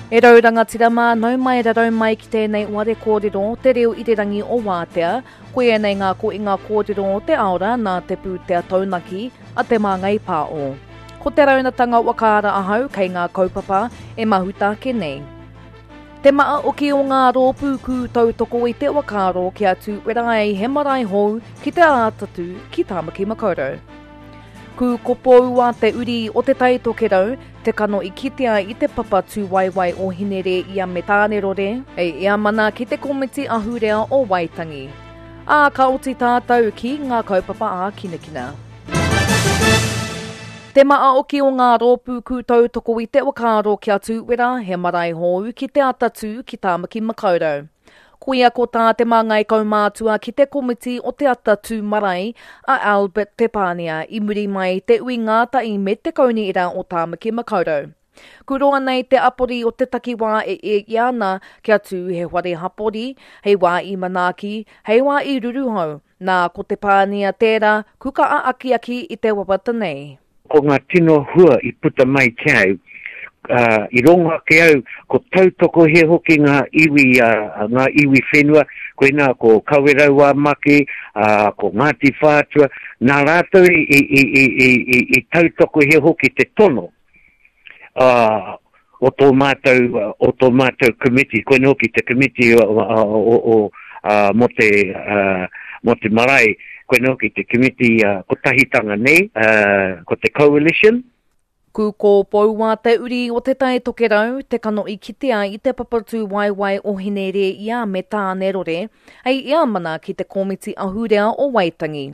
E rau rangatira mā, nau mai rarau mai ki tēnei ware kōrero, te reo irirangi o Wātea. Koia nei ngā koinga kōrero o te aora nā te pūtea taunaki a Te Māngai Pāo. Ko te raunatanga whakaara ahau kei ngā kaupapa e mahuta ake nei. Te maa oki o ngā rōpū kū tautoko i te whakaaro kia tūwera ai he marae hou ki te ātatu ki Tāmaki Makaurau. Kūkopoua te uri o Te Tai Tokerau, te kano i kitea i te papa tūwaewae o Hinereia me Tānerore, hei eamana ki te Komiti Ahurea o Waitangi. Ā, ka oti tātou ki ngā kaupapa ākinakina. Te maa oki o ngā rōpū kūtautoko i te whakaaro kia tūwera he marae hōu ki Te Atatū ki Tāmaki Makaurau. Koia ko tā te māngai kaumātua ki te komiti o Te Ata Tū Marae, a Albert Te Pānia, i muri mai i te ui ngātahi me te Kaunihera o Tāmaki Makaurau. Kuroa nei te apori o te takiwā e ēia ana kia tū he whare hapori, hei wā i manaaki, hei wā i ruruhau, nā ko Te Pānia tērā kuka a akiaki i te wawata nei. Ko ngā tino hua i puta mai ki au, ā, i rongo ake au, ko tautokohia hoki ngā iwi, ā, ngā iwi whenua, koinā ko Kawerau-ā-Maki, ā, ko Ngāti Whātua, nā rātou i, i, i, i, i, i, i tautokohia hoki te tono, ā, o tō mātou, o tō mātou komiti, koinā hoki te komiti o, o, o, ā, mō te, ā, mō te marae, koinā hoki te komiti ā, kotahitanga nei, ā, ko te coalition. Kūkōpoua te uri o Te Tai Tokerau, te kano i kitea i te papatūwaewae o Hinerēia me Tānerore, hei eamana ki te Komiti Ahurea o Waitangi.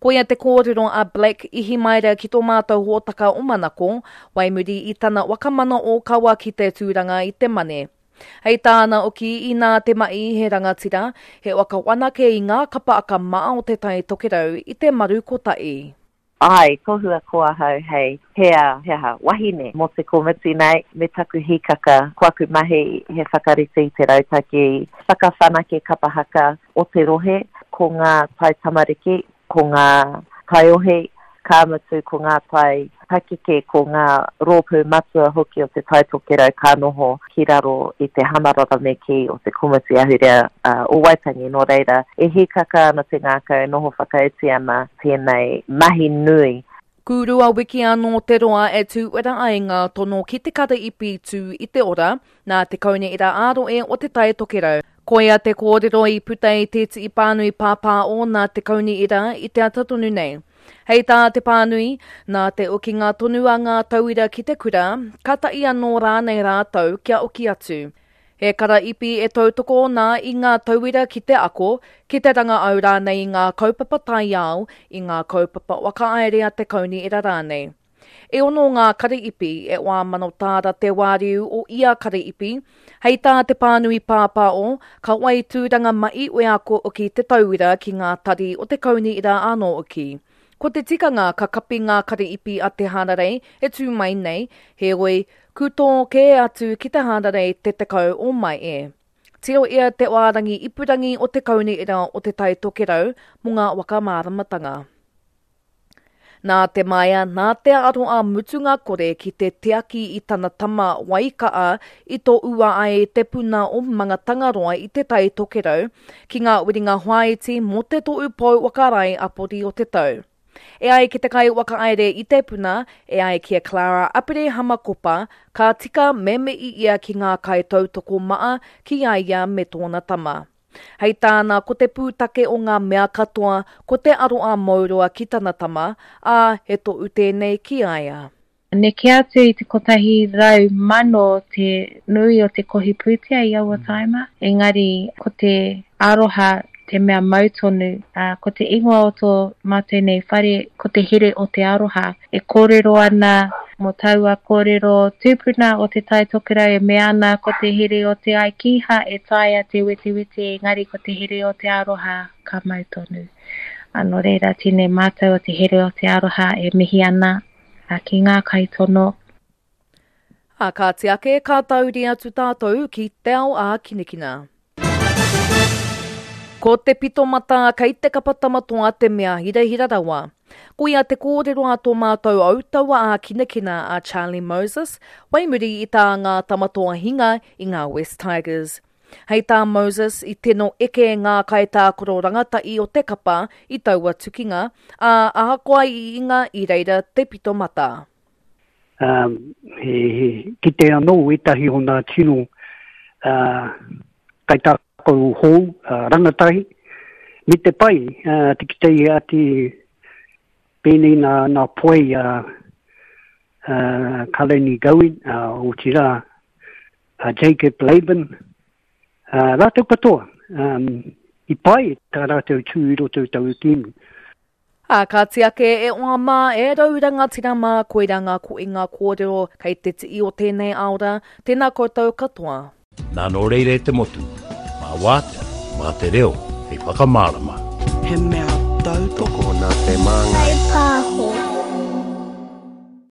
Koia te kōrero a Black Ihimaera ki tō mātou hōtaka o Manako, wai muri i tana whakamana ōkawa ki te tūranga i te Mane. Hei tāna oki, inā te mahi he rangatira, he waka wanake i ngā kapa aka maa o Te Tai Tokerau i te maru kotahi. Āe, tohua ko ahau hei hea, he aha, wahine mō te komiti nei, me taku hīkaka, ko aku mahi he whakarite i te rautaki whakawhanake kapa haka o te rohe, ko ngā tai tamariki, ko ngā taiohi, ka mutu ko ngā tai pakeke, ko ngā rōpū matua hoki o Te Tai Tokerau ka noho ki raro i te hamarara me kī o te Komiti Ahurea o Waitangi, nō reira, e hīkaka ana te ngākau, e noho whakaiti ana tēnei mahi nui. Kūrua wiki anō te roa e tūwera ai ngā tono ki te karaipi tū i te ora nā te Kaunihera ā-Rohe o Te Tai Tokerau. Koia te kōrero i puta i tētehi pānui pāpāo nā te Kaunihera i te ata tonu nei. Hei tā te pānui, nā te okinga tonu a ngā tauira ki te kura, ka taʻi anō rānei rātou kia oki atu. He karaipi e tautoko ana i ngā tauira ki te ako, ki te rangaau rānei i ngā kaupapa taiao, i ngā kaupapa whakahaere a te kaunihera rānei. E ono ngā karaipi, e 40 tāra te wāriu o ia karaipi. Hei tā te pānui pāpāo, ka whai tūranga mahi wheako hoki te tauira ki ngā tari o te kaunihera anō hoki. Ko te tikanga ka kapi ngā karaipi a te hārarei e tū mai nei, heoi, kutō kē atu ki te hārarei te 10 o Maehe. Tirohia te wārangi ipurangi o te Kaunihera o Te Tai Tokerau mō ngā whakamāramatanga. Nā te maia, nā te aroa mutunga kore ki te tiaki i tana tama Waika'a i toua ai te puna o Mangatangaroa i Te Tai Tokerau ki ngā whiringa whāiti mō te tohu pou whakarae apori o te tau. E ai ki te kaiwhakahaere i te puna, e ai ki a Clara Aperehama Kopa, ka tika me mihi ia ki ngā kaitautoko maa ki a ia me tōna tama. Hei tāna, ko te pūtake o ngā mea katoa, ko te aroā mouroa ki tana tama, ā, he tohu tēnei ki a ia. Neke atu i te 100,000 te nui o te kohi pūtea i aua tāima, engari ko te aroha te mea mau tonu, ā, ko te ingoa o tō mātou nei whare ko te here o te aroha. E kōrero ana mō taua kōrero tūpuna o Te Tai Tokerau e mea ana ko te here o te ai kīha e taea te wetewete engari ko te here o te aroha ka mau tonu. Ā, nō reira tēnei mātou o te here o te aroha e mihi ana ki ngā kaitono. Ā, kāti ake, ka tauri atu tātou ki te ao ākinakina. Ko te pito mata kei te kapa tamatoa te mea hirahira rawa. Koia te kōrero a tō mātou autaua ā-kinakina a Charlie Moses, whai muri i tā ngā Tamatoa hinga i ngā West Tigers. Hei tā Moses, i tino eke ngā kaitākaro rangatahi o te kapa i taua tukinga, ā, ahakoa i inga i reira te pito mata. He kite anō ētahi o ngā tino kaitākaro hou, rangatahi, me te pai te kite i ati pēnei nā, nā poe a Kalani Gowen, otirā a Jacob Laban, rātou katoa, i pai tā rātou tū i roto i taua kēmu. Ā, kāti ake, e oa mā, e rau rangatira mā, koirā ngā koinga kōrero kei te tii o tēnei aora, tēnā koutou katoa. Nā nō reira e te motu, mā Wātea, mā te reo hei whakamārama. He mea tautoko nā te Māngai. Pāho.